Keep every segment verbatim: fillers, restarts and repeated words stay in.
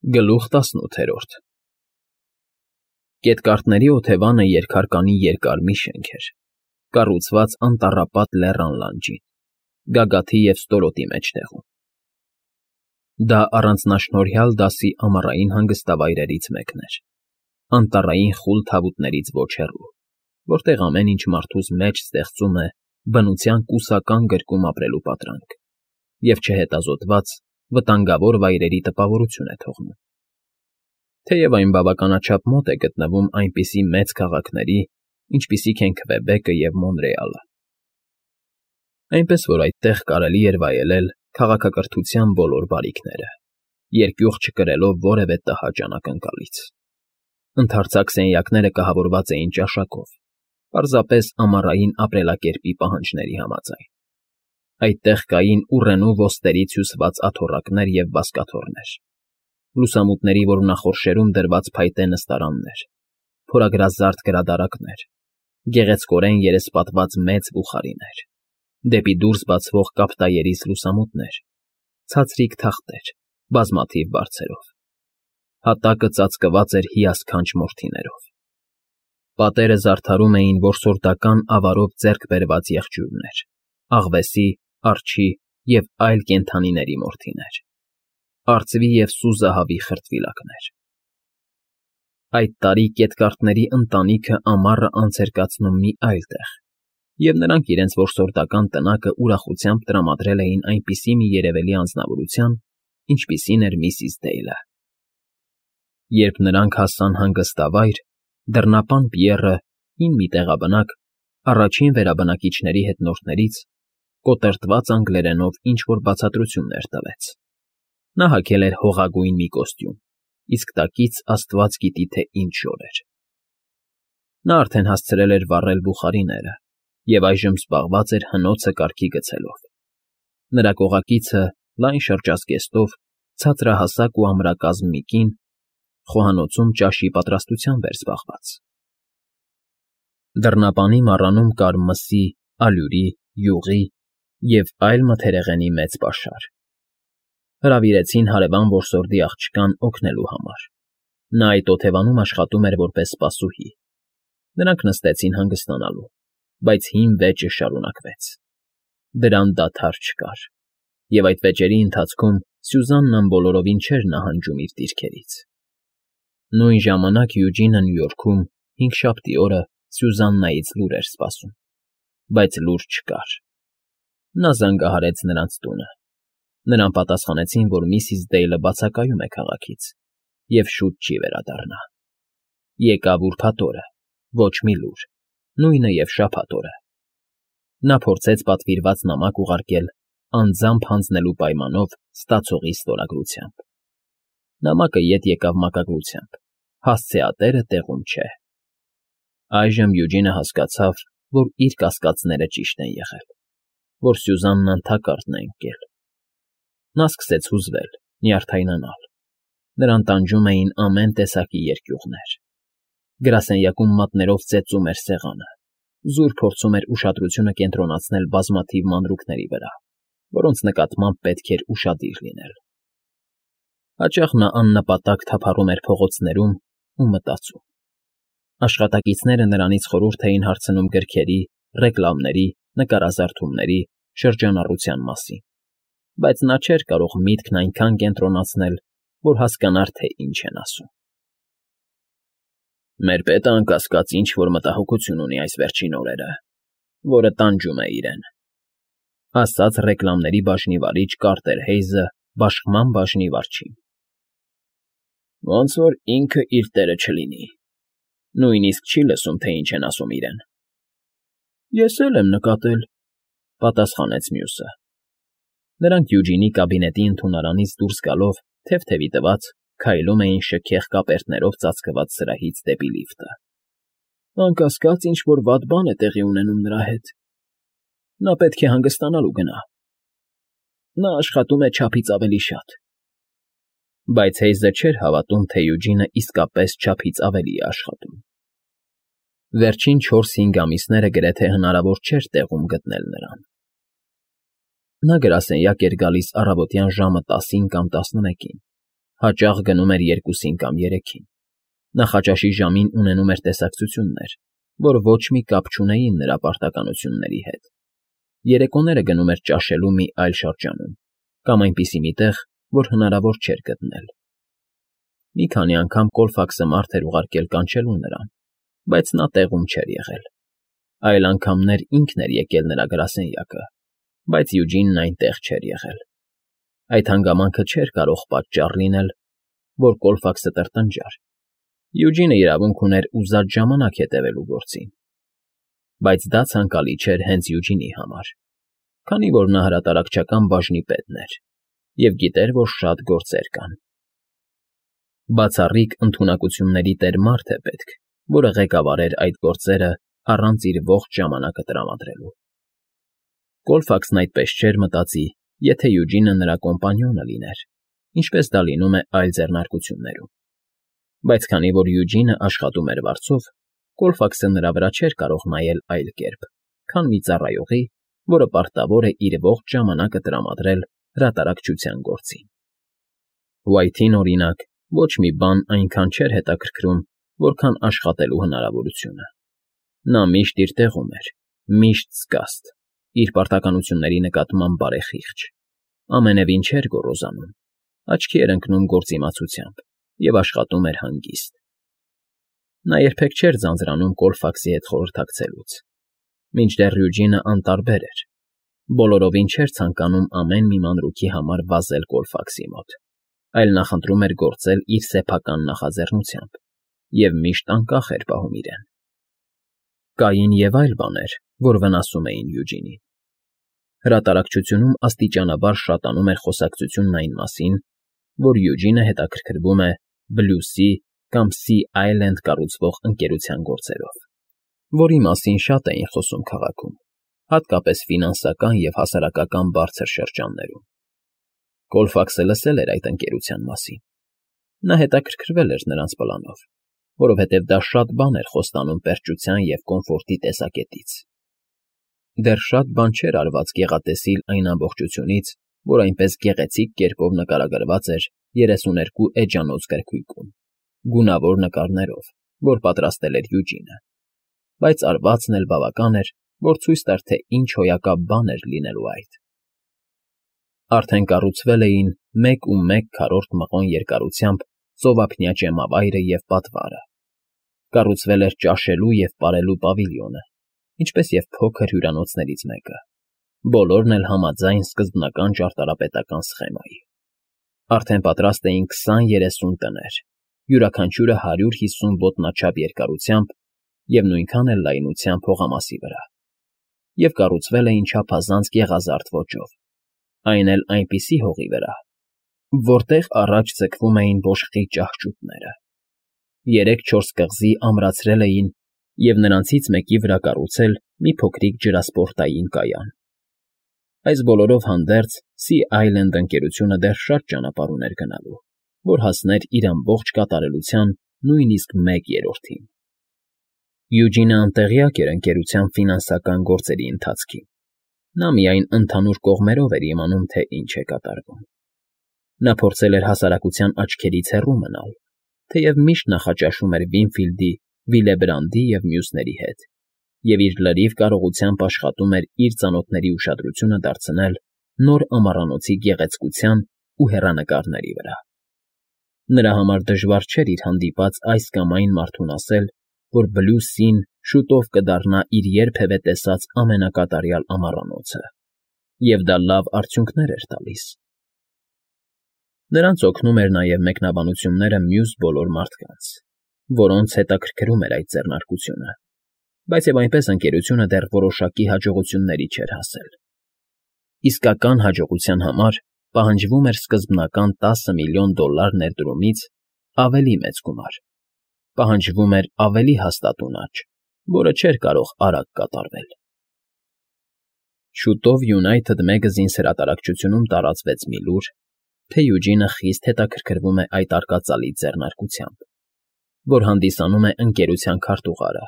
Գլուխ տասնութ։ Կետկառների օթևանը երկհարկանի երկար մի շենք էր, կառուցված անտառապատ լեռան լանջին, գագաթի և ստորոտի մեջտեղում. դա առանձնաշնորհյալ դասի ամառային հանգստավայրերից մեկն էր, անտառային խուլ թավուտներից ոչ հեռու, որտեղ ամեն ինչ մարդուս մեջ ստեղծում է բնության կուսական գրկում ապրելու պատրանք և չհետազոտված, վտանգավոր վայրերի տպավորություն է թողնում, թեև այն բավականաչափ մոտ է գտնվում այնպիսի մեծ քաղաքների, ինչպիսիք են Քվեբեկը և Մոնրեալը, այնպես որ այդտեղ կարելի էր վայելել քաղաքակրթության բոլոր բարիքները, երկյուղ չկրելով որևէ տհաճ անակնկալից. ընդարձակ սենյակները կահավորված էին ճաշակով, պարզապես ամառային ապրելակերպի պահանջների համաձայն, այդտեղ կային ուռենու ոստերից հյուսված աթոռակներ և բազկաթոռներ, լուսամուտների որոնախորշերում դրված փայտե նստարաններ, փորագրազարդ գրադարաններ, գեղեցկորեն երեսպատված մեծ բուխարիներ, դեպի դուրս բացվող կապտայերից լուսամուտներ, ցածրիկ թախտեր, բազմաթիվ բարձերով, հատակը ծածկված էր հիասքանչ մորթիներով, պատերը զարդարում էին որսորդական ավարով ձեռք բերված եղջյուրներ, աղվեսի, արջի և այլ կենդանիների մորթիներ, արծվի և սուզահավի խրտվիլակներ. Այդ տարի կետկառների ընտանիքը ամառը անց էր կացնում մի այլ տեղ, և նրանք իրենց որսորդական տնակը ուրախությամբ տրամադրել էին այնպիսի մի երևելի անձնավորության, ինչպիսին էր միսիս Դեյլը. Երբ նրանք հասան հանգստավայր, դռնապան Պիեռը, հին մի տեղաբնակ, առաջին վերաբնակիչների հետնորդներից, կոտրտված անգլերենով ինչ֊որ բացատրություններ տվեց. նա հագել էր հողագույն մի կոստյում, իսկ տակից աստված գիտի թե ինչ ժոր էր. նա արդեն հասցրել էր վառել բուխարիները և այժմ զբաղված էր հնոցը կարգի գցելով. նրա կողակիցը, լայն շրջազգեստով, ցածրահասակ ու ամրակազմ մի կին, խոհանոցում ճաշի պատրաստությամբ էր զբաղված. Դռնապանի մառանում կար մսի, ալյուրի, յուղի և այլ մթերեղենի մեծ պաշար. հրավիրեցին հարևան որսորդի աղջկան օգնելու համար. նա այդ օթևանում աշխատում էր որպես սպասուհի. նրանք նստեցին հանգստանալու, բայց հին վեճը շարունակվեց. դրան դադար չկար, և այդ վեճերի ընթացքում Սյուզաննան բոլորովին չէր նահանջում իր դիրքերից. նույն ժամանակ Յուջինը Նյու Յորքում հինգշաբթի օրը Սյուզաննայից լուր էր սպասում, բայց լուր չկար. նա զանգահարեց նրանց տունը, նրան պատասխանեցին, որ միսիս Դեյլը բացակայում է քաղաքից և շուտ չի վերադառնա. եկավ ուրբաթ օրը, ոչ մի լուր, նույնը և շաբաթ օրը. նա փորձեց պատվիրված նամակ ուղարկել անձամբ հանձնելու պայմանով ստացողի ստորագրությամբ. նամակը ետ եկավ մակագրությամբ, հասցեատերը տեղում չէ. այժմ Յուջինը հասկացավ, որ իր կասկածները ճիշտ են եղել, որ Սյուզաննան թակարդն է ընկել. նա սկսեց հուզվել, նյարդայնանալ, նրան տանջում էին ամեն տեսակի երկյուղներ, գրասենյակում մատներով ծեծում էր սեղանը, զուր փորձում էր ուշադրությունը կենտրոնացնել բազմաթիվ մանրուքների վրա, որոնց նկատմամբ պետք էր ուշադիր լինել. հաճախ նա աննպատակ թափառում էր փողոցներում ու մտածում. աշխատակիցները նրանից խորհուրդ էին հարցնում գրքերի, ռեկլամների, նկարազարդումների, շրջանառության մասին, բայց նա չէր կարող միտքն այնքան կենտրոնացնել, որ հասկանար, թե ինչ են ասում. Մեր պետը անկասկած ինչ֊որ մտահոգություն ունի այս վերջին օրերը, որը տանջում է իրեն, ասաց ռեկլամների բաժնի վարիչ Կարտեր Հեյզը բաշխման բաժնի վարչին. ոնց որ ինքը իր տեղը չլինի, նույնիսկ չի լսում, թե ինչ են ասում իրեն։ Ես էլ եմ նկատել, պատասխանեց մյուսը. նրանք Յուջինի կաբինետի ընդունարանից դուրս գալով, թեթևի տված, քայլում էին շքեղ կապերտներով ծածկված սրահից դեպի լիֆտը. անկասկած ինչ֊որ վատ բան է տեղի ունենում նրա հետ. նա պետք է հանգստանալու գնա. նա աշխատում է չափից ավելի շատ։ Բայց Հեյզը չէր հավատում, թե Յուջինը իսկապես չափից ավելի է աշխատում. Վերջին չորս֊հինգ ամիսները գրեթե հնարավոր չէր տեղում գտնել նրան. նա գրասենյակ էր գալիս առավոտյան ժամը տասին կամ տասնմեկին, Հաճախ գնում էր երկուսին կամ երեքին, նախաճաշի ժամին ունենում էր տեսակցություններ, որ ոչ մի կապ չունեին նրա պարտականությունների հետ, երեկոները գնում էր ճաշելու մի այլ շրջանում կամ այնպիսի մի տեղ, որ հնարավոր չէր գտնել։ Մի քանի անգամ Կոլֆաքսը մարդ էր ուղարկել կանչելու նրան, բայց նա տեղում չէր եղել, այլ անգամներ ինքն էր եկել նրա գրասենյակը, բայց Յուջինն այնտեղ չէր եղել։ Այդ հանգամանքը չէր կարող պատճառ լինել, որ Կոլֆաքսը տրտնջար։ Յուջինը իրավունք ուներ ուզած ժամանակ հետևելու գործին, բայց դա ցանկալի չէր հենց Յուջինի համար, քանի որ նա հրատարակչական բաժնի պետն էր և գիտեր, որ շատ գործեր կան։ Բացառիկ ընդունակությունների տեր մարդ է պետք, որը ղեկավարեր այդ գործերը առանց իր ողջ ժամանակը տրամադրելու։ Կոլֆաքսն այդպես չէր մտածի, եթե Յուջինը նրա կոմպանիոնը լիներ, ինչպես դա լինում է այլ ձեռնարկություններում։ Բայց քանի որ Յուջինը աշխատում էր վարձով, Կոլֆաքսը նրա վրա չէր կարող նայել այլ կերպ, քան մի ծառայողի, որը պարտավոր է իր ողջ ժամանակը տրամադրել հրատարակչության գործին։ Ուայթին, օրինակ, ոչ մի բան այնքան չէր հետաքրքրում, որքան աշխատելու հնարավորությունը։ Նա միշտ իր տեղում էր, միշտ զգաստ, իր պարտականությունների նկատմամբ բարեխիղճ, ամենևին չէր գոռոզանում, աչքի էր ընկնում գործիմացությամբ և աշխատում էր հանգիստ։ Նա երբեք չէր ձանձրանում Կոլֆաքսի հետ խորհրդակցելուց, մինչդեռ Յուջինը անտարբեր էր, բոլորովին չէր ցանկանում ամեն մի մանրուքի համար վազել Կոլֆաքսի մոտ, այլ նախընտրում էր գործել իր սեփական նախաձեռնությամբ և միշտ անկախ էր պահում իրեն։ Կային և այլ բաներ, որ վնասում էին Յուջինին։ Հրատարակչությունում աստիճանաբար շատանում էր խոսակցությունն այն մասին, որ Յուջինը հետաքրքրվում է Բլյուսի կամ Սի Այլենդ կառուցվող ընկերության գործերով, որի մասին շատ էին խոսում քաղաքում, հատկապես ֆինանսական և հասարակական բարձր շրջաններում։ Կոլֆաքսը լսել էր այդ ընկերության մասին։ Նա հետաքրքրվել էր նրանց պլանով, որովհետև դա շատ բան էր խոստանում պերճության և կոմֆորտի տեսակետից։ Դեռ շատ բան չէր արված գեղատեսիլ այն ամբողջությունից, որ այնպես գեղեցիկ կերպով նկարագրված էր երեսուներկու էջանոց գրքույկում, գունավոր նկարներով, որ պատրաստել էր Յուջինը, բայց արվածն էլ բավական էր, որ ցույց տար, թե ինչ հոյակապ բան էր լինելու այդ։ Արդեն կառուցվել էին մեկ ու մեկ քառորդ մղոն երկարությամբ ծովափնյա ճեմավայրը և պատվարը, կառուցվել էր ճաշելու և պարելու պավիլիոնը, ինչպես և փոքր հյուրանոցներից մեկը, բոլորն էլ համաձայն սկզբնական ճարտարապետական սխեմայի։ Արդեն պատրաստ էին քսան֊երեսուն տներ, յուրաքանչյուրը հարյուր հիսուն ոտնաչափ երկարությամբ և նույնքան էլ լայնությամբ հողամասի վրա, և կառուցվել էին չափազանց գեղազարդ ոճով, այն էլ այնպիսի հողի վրա, որտեղ առաջ ձգվում էին բոշխի ճահճուտները։ Երեք֊չորս կղզի ամրացրել էին և նրանցից մեկի վրա կառուցել մի փոքրիկ ջրասպորտային կայան։ Այս բոլորով հանդերձ Սի Այլենդ ընկերությունը դեռ շատ ճանապարհ ուներ գնալու, որ հասներ իր ամբողջ կատարելության նույնիսկ մեկ երրորդին։ Յուջինը անտեղյակ էր ընկերության ֆինանսական գործերի ընթացքին։ Նա միայն ընդհանուր կողմերով էր իմանում, թե ինչ է կատարվում։ Նա փորձել էր հասարակության աչքերից հեռու մնալ, թեև միշտ նախաճաշում էր Վինֆիլդի, Վիլեբրանդի և մյուսների հետ, և իր լրիվ կարողությամբ աշխատում էր իր ծանոթների ուշադրությունը դարձնել նոր ամառանոցի գեղեցկության ու հեռանկարների վրա։ Նրա համար դժվար չէր իր հանդիպած այս կամ այն մարդուն ասել, որ Բլյու Սին շուտով կդառնա իր երբևէ տեսած ամենակատարյալ ամառանոցը, և դա լավ արդյունքներ էր տալիս։ Նրանց օգնում էր նաև մեկնաբանությունները մյուս բոլոր մարդկանց, որոնց հետաքրքրում էր այդ ձեռնարկությունը, բայց և այնպես ընկերությունը դեռ որոշակի հաջողությունների չէր հասել։ Իսկական հաջողության համար պահանջվում էր սկզբնական տասը միլիոն դոլար ներդրումից ավելի մեծ գումար, պահանջվում էր ավելի հաստատուն աճ, որը չէր կարող արագ կատարվել։ Շուտով United Magazines հրատարակչությունում տարածվեց մի լուր, թե Յուջինը խիստ հետաքրքրվում է այդ արկածալի ձեռնարկությամբ, որ հանդիսանում է ընկերության քարտուղարը,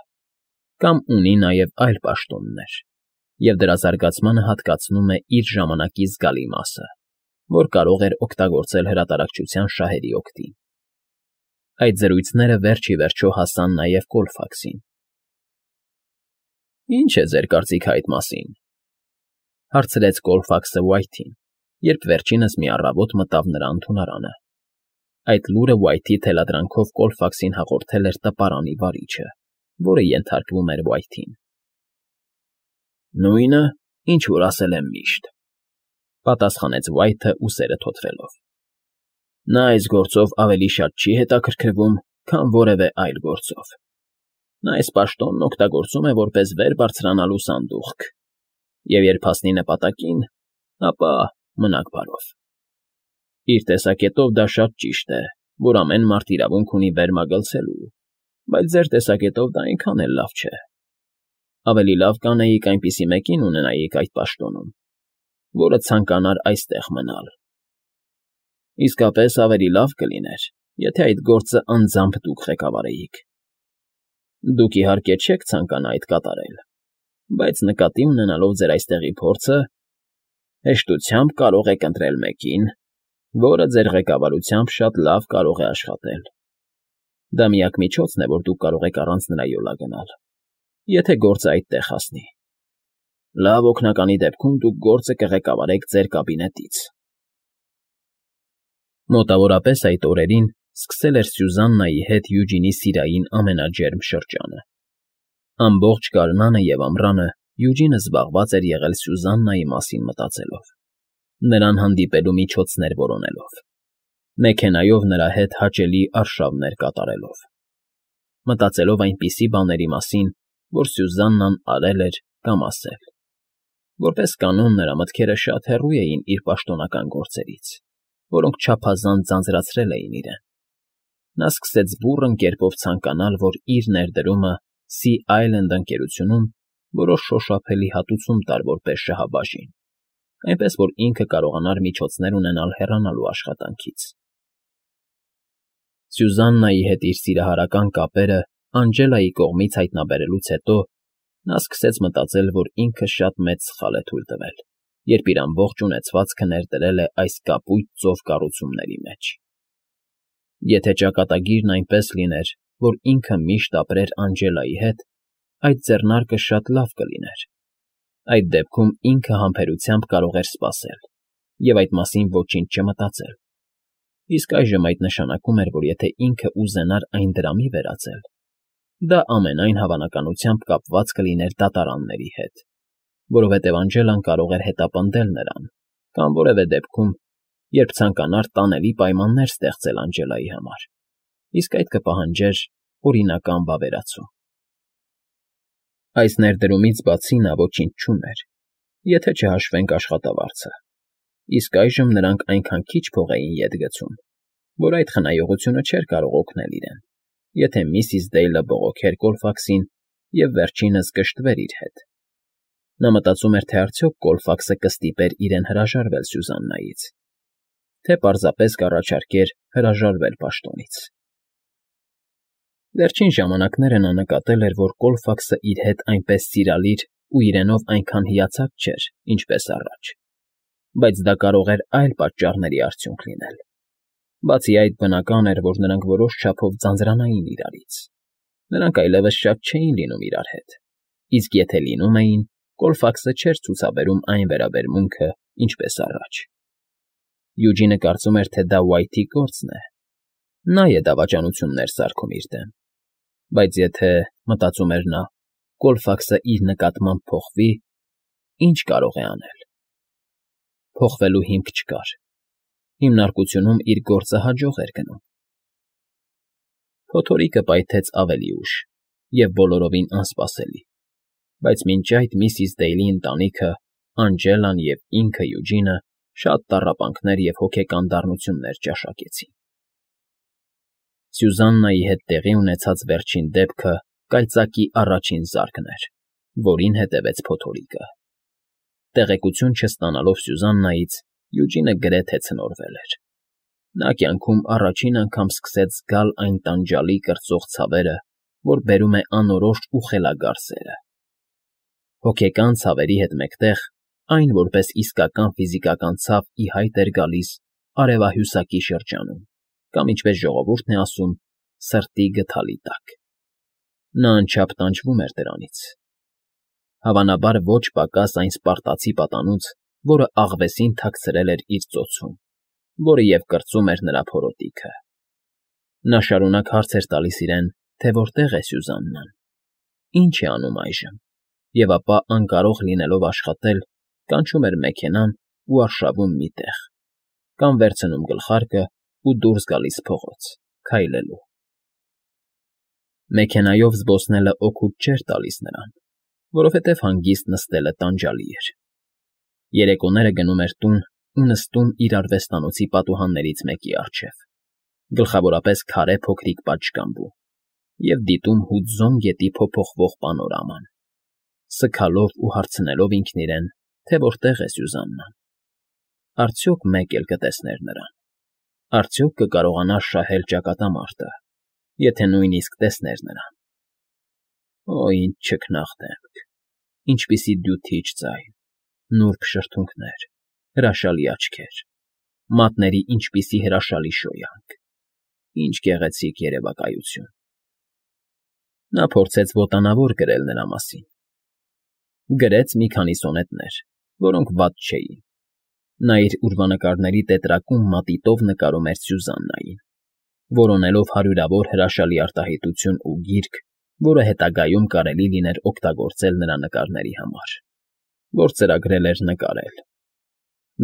կամ ունի նաև այլ պաշտոններ, և դրա զարգացմանը հատկացնում է իր ժամանակի զգալի մասը, որ կարող էր օգտագործել հրատարակչության շահերի օգտին։ Այդ զրույցները վերջ ի վերջո հասան նաև Կոլֆաքսին։ ֊ Ի՞նչ է ձեր կարծիքը այդ մասին,֊ հարցրեց Կոլֆաքսը Ուայթին, երբ վերջինս մի առավոտ մտավ նրա ընդունարանը։ Այդ լուրը Ուայթի թելադրանքով Կոլֆաքսին հաղորդել էր տպարանի վարիչը, որը ենթարկվում էր Ուայթին։ ֊ Նույնը, ինչ որ ասել եմ միշտ,֊ պատասխանեց Ուայթը ուսերը թոթվելով։ Նա այս գործով ավելի շատ չի հետաքրքրվում, քան որևէ այլ գործով։ Նա այս պաշտոնն օգտագործում է որպես վեր բարձրանալու սանդուղք, և երբ հասնի նպատակին, ապա մնաք բարով։ Իր տեսակետով դա շատ ճիշտ է, որ ամեն մարդ իրավունք ունի վեր մագլցելու, բայց ձեր տեսակետով դա այնքան էլ լավ չէ։ Ավելի լավ կանեիք այնպիսի մեկին ունենայիք այդ պաշտոնում, որը ցանկանար այստեղ մնալ։ Իսկապես ավելի լավ կլիներ, եթե այդ գործը անձամբ դուք ղեկավարեիք։ Դուք, իհարկե, չեք ցանկանա այդ կատարել, բայց նկատի ունենալով ձեր այստեղի փորձը, հեշտությամբ կարող եք ընտրել մեկին, որը ձեր ղեկավարությամբ շատ լավ կարող է աշխատել։ Դա միակ միջոցն է, որ դուք կարող եք առանց նրա յոլա գնալ, եթե գործը այդտեղ հասնի։ Լավ օգնականի դեպքում դուք գործը կղեկավարեք ձեր կաբինետից։ Մոտավորապես այդ օրերին սկսել էր Սյուզաննայի հետ Յուջինի սիրային ամենաջերմ շրջանը։ Ամբողջ գարնանը և ամռանը Յուջինը զբաղված էր եղել Սյուզաննայի մասին մտածելով, նրան հանդիպելու միջոցներ որոնելով, մեքենայով նրա հետ հաճելի արշավներ կատարելով, մտածելով այնպիսի բաների մասին, որ Սյուզաննան արել էր կամ ասել։ Որպես կանոն նրա մտքերը շատ հեռու էին իր պաշտոնական գործերից, որոնք չափազանց ձանձրացրել էին իրեն։ Նա սկսեց բուռն կերպով ցանկանալ, որ իր ներդրումը Sea Island ընկերությունում որոշ շոշափելի հատուցում տար որպես շահաբաժին, այնպես որ ինքը կարողանար միջոցներ ունենալ հեռանալու աշխատանքից։ Սյուզաննայի հետ իր սիրահարական կապերը Անջելայի կողմից հայտնաբերելուց հետո նա սկսեց մտածել, որ ինքը շատ մեծ սխալ է թույլ տվել, երբ իր ամբողջ ունեցվածքը ներդրել է այս կապույտ ծով կառուցումների մեջ։ Եթե ճակատագիրն այնպես լիներ, որ ինքը միշտ ապրեր Անջելայի հետ, այդ ձեռնարկը շատ լավ կլիներ։ Այդ դեպքում ինքը համբերությամբ կարող էր սպասել և այդ մասին ոչինչ չմտածել։ Իսկ այժմ այդ նշանակում էր, որ եթե ինքը ուզենար այն դրամի վերածել, դա ամենայն հավանականությամբ կապված կլիներ դատարանների հետ, որովհետև Անջելան կարող էր հետապնդել նրան կամ որևէ դեպքում, երբ ցանկանար տանելի պայմաններ ստեղծել Անջելայի համար, իսկ այդ կպահանջեր օրինական վավերացում։ Այս ներդրումից բացի նա ոչինչ չուներ, եթե չհաշվենք աշխատավարձը, իսկ այժմ նրանք այնքան քիչ փող էին ետ գցում, որ այդ խնայողությունը չէր կարող օգնել իրեն, եթե միսիս Դեյլը բողոքեր Կոլֆաքսին և վերջինս կշտվեր իր հետ։ Նա մտածում էր, թե արդյոք Կոլֆաքսը կստիպեր իրեն հրաժարվել Սյուզաննայից, թե պարզապես կառաջարկեր հրաժարվել պաշտոնից։ Վերջին ժամանակները նա նկատել էր, որ Կոլֆաքսը իր հետ այնպես սիրալիր ու իրենով այնքան հիացած չէր, ինչպես առաջ, բայց դա կարող էր այլ պատճառների արդյունք լինել։ Բացի այդ, բնական էր, որ նրանք որոշ չափով ձանձրանային իրարից։ Նրանք այլևս շատ չէին լինում իրար հետ, իսկ եթե լինում էին, Կոլֆաքսը չէր ցուցաբերում այն վերաբերմունքը, ինչպես առաջ։ Յուջինը կարծում էր, թե դա Ուայթի գործն է։ Նա է դավաճանություններ սարքում իր դեմ։ Բայց եթե, մտածում էր նա, Կոլֆաքսը իր նկատմամբ փոխվի, ի՞նչ կարող է անել։ Փոխվելու հիմք չկար։ Հիմնարկությունում իր գործը հաջող էր գնում։ Փոթորիկը պայթեց ավելի ուշ և բոլորովին անսպասելի, բայց մինչ այդ միսիս Դեյլի ընտանիքը, Անջելան և ինքը Յուջինը շատ տառապանքներ և հոգեկան դառնություններ ճաշակեցին։ Սյուզաննայի հետ տեղի ունեցած վերջին դեպքը կայծակի առաջին զարկն էր, որին հետևեց փոթորիկը։ Տեղեկություն չստանալով Սյուզաննայից, Յուջինը գրեթե ցնորվել էր։ Նա կյանքում առաջին անգամ սկսեց զգալ այն տանջալի կրծող ցավերը, որ բերում է անորոշ ու խելագար սերը։ Հոգեկան ցավերի հետ մեկտեղ Այն, որպես իսկական ֆիզիկական ցավ ի հայտ էր գալիս արևահյուսակի շրջանում կամ, ինչպես ժողովուրդն է ասում, սրտի գդալի տակ. նա անչափ տանջվում էր դրանից, հավանաբար ոչ պակաս այն սպարտացի պատանուց, որը աղվեսին թաքցրել էր իր ծոցում, որը և կրծում էր նրա փորոտիքը։ Նա շարունակ հարց էր տալիս իրեն, թե որտեղ է Սյուզաննան, ինչ է անում այժմ, և ապա, անկարող լինելով աշխատել, կանչում էր մեքենան ու արշավում մի տեղ, կամ վերցնում գլխարկն ու դուրս գալիս փողոց, քայլելու։ Մեքենայով զբոսնելը օգուտ չէր տալիս նրան, որովհետև հանգիստ նստելը տանջալի էր։ Երեկոները գնում էր տուն ու նստում իր արվեստանոցի պատուհաններից մեկի առջև, գլխավորապես քարե փոքրիկ պատշգամբում, և դիտում Հուդզոն գետի փոփոխվող պանորաման, սգալով ու հարցնելով ինքն իրեն, թե որտեղ է Սյուզաննան, արդյոք մեկ էլ կտեսներ նրան, արդյոք կկարողանար շահել ճակատամարտը, եթե նույնիսկ տեսներ նրան։ Օ, ինչ չքնաղ դեմք, ինչպիսի դյութիչ ձայն, նուրբ շրթունքներ, հրաշալի աչքեր, մատների ինչպիսի հրաշալի շոյանք, ինչ գեղեցիկ երևակայություն։ Նա փորձեց ոտանավոր գրել նրա մասին։ Գրեց մի քանի սոնետներ, որոնք վատ չէին։ Նա իր ուրվանկարների տետրակում մատիտով նկարում էր Սյուզաննային, որոնելով հարյուրավոր հրաշալի արտահայտություն ու գիրք, որը հետագայում կարելի լիներ օգտագործել նրա նկարների համար, որ ծրագրել էր նկարել։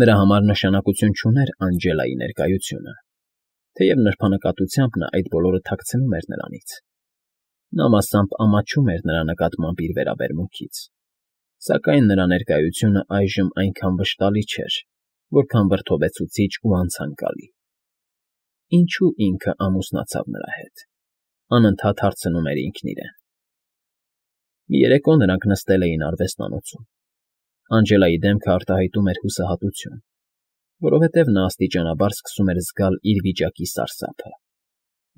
Նրա համար նշանակություն չուներ Անջելայի ներկայությունը, թեև նրբանկատությամբ նա այդ բոլորը թաքցնում էր նրանից։ Նա մասամբ ամաչում էր նրա նկատմամբ իր վերաբերմունքից, սակայն նրա ներկայությունը այժմ այնքան վշտալի չէր, որքան վրդովեցուցիչ ու անցանկալի։ Ինչու ինքը ամուսնացավ նրա հետ, անընդհատ հարցնում էր ինքն իրեն։ Մի երեկո նրանք նստել էին արվեստանոցում։ Անջելայի դեմքը արտահայտում էր հուսահատություն, որովհետև նա աստիճանաբար սկսում էր զգալ իր վիճակի սարսափը,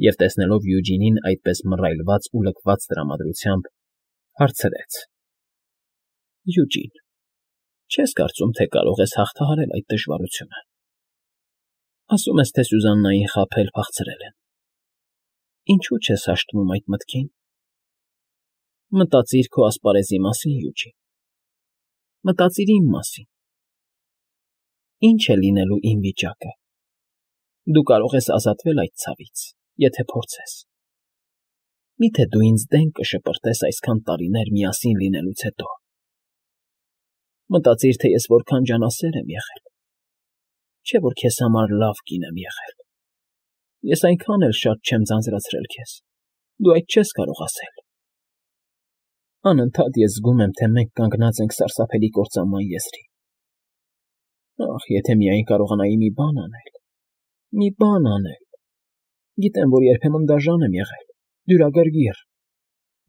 և տեսնելով Յուջինին այդպես մռայլված ու լքված տրամադրությամբ, հարցրեց. Յուջին, չես կարծում, թե կարող ես հաղթահարել այդ դժվարությունը։ Ասում ես, թե Սյուզաննային խաբել, փախցրել են։ Ինչու չես հաշտվում այդ մտքին։ Մտածիր քո ասպարեզի մասին, Յուջին, մտածիր իմ մասին։ Ինչ է լինելու իմ վիճակը։ Դու կարող ես ազատվել այդ ցավից, եթե փորձես։ Մի՞թե դու ինձ դեն կշպրտես այսքան տարիներ միասին լինելուց հետո։ Մտածիր, թե ես որքան ջանասեր եմ եղել, չէ՞ որ քեզ համար լավ կին եմ եղել։ Ես այնքան էլ շատ չեմ ձանձրացրել քեզ, դու այդ չես կարող ասել։ Անընդհատ ես զգում եմ, թե մենք կանգնած ենք սարսափելի կործանման եզրին։ Ախ, եթե միայն կարողանայի մի բան անել, մի բան անել։ Գիտեմ, որ երբեմն դաժան եմ եղել, դյուրագրգիռ,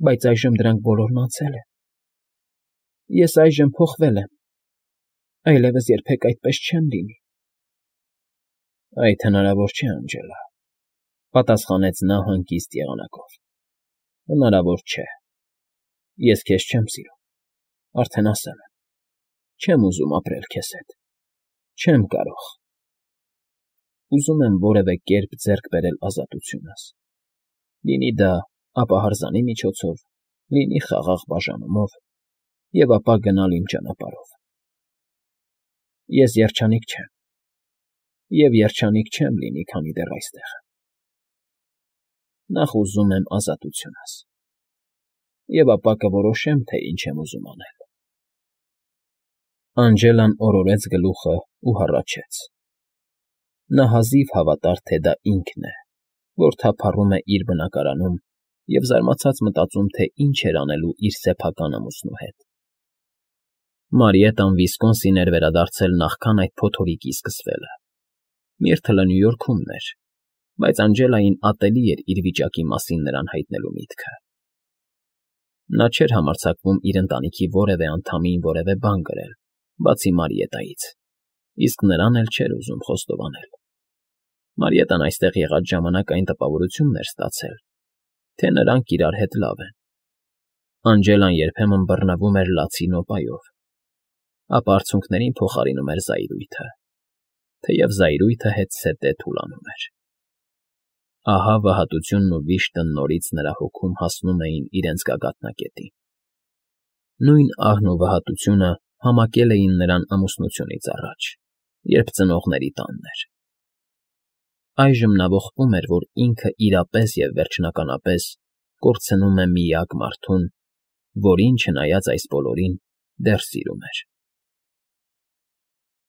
բայց այժմ դրանք բոլորն անցել են։ Ես այժմ փոխվել եմ, այլևս երբեք այդպես չեմ լինի։ Այդ հնարավոր չէ, Անջելա, պատասխանեց նա հանգիստ եղանակով։ Հնարավոր չէ։ Ես քեզ չեմ սիրում, արդեն ասել եմ, չեմ ուզում ապրել քեզ հետ, չեմ կարող։ Ուզում եմ որևէ կերպ ձեռք բերել ազատությունս, լինի դա ապահարզանի միջոցով, լինի խաղաղ բաժանումով, և ապա գնալ իմ ճանապարհով։ Ես երջանիկ չեմ, և երջանիկ չեմ լինի, քանի դեռ այստեղ եմ։ Նախ ուզում եմ ազատությունս, և ապա կորոշեմ, թե ինչ եմ ուզում անել։ Անջելան օրորեց գլուխն ու հառաչեց։ Նա հազիվ հավատար, թե դա ինքն է, որ թափառում է իր բնակարանում և զարմացած մտածում, թե ինչ էր անելու իր սեփական ամուսնու հետ։ Մարիետան Վիսկոնսին էր վերադարձել նախքան այդ փոթորիկի սկսվելը։ Միրթլը Նյու Յորքում էր, բայց Անջելային ատելի էր իր վիճակի մասին նրան հայտնելու միտքը։ Նա չէր համարձակվում իր ընտանիքի որևէ անդամին որևէ բան գրել, բացի Մարիետայից, իսկ նրան էլ չէր ուզում խոստովանել։ Մարիետան այստեղ եղած ժամանակ այն տպավորությունն էր ստացել, թե նրանք իրար հետ լավ են։ Անջելան երբեմն բռնվում էր լացի նոպայով, ապա արցունքներին փոխարինում էր զայրույթը, թեև զայրույթը հետզհետե թուլանում էր։ Ահա վհատությունն ու վիշտը նորից նրա հոգում հասնում էին իրենց գագաթնակետին. նույն ահն ու վհատությունը համակել էին նրան ամուսնությունից առաջ, երբ ծնողների տանն էր։ Այժմ նա ողբում էր, որ ինքը իրապես և վերջնականապես կորցնում է միակ մարդուն, որին, չնայած այս բոլորին, դեռ սիրում էր։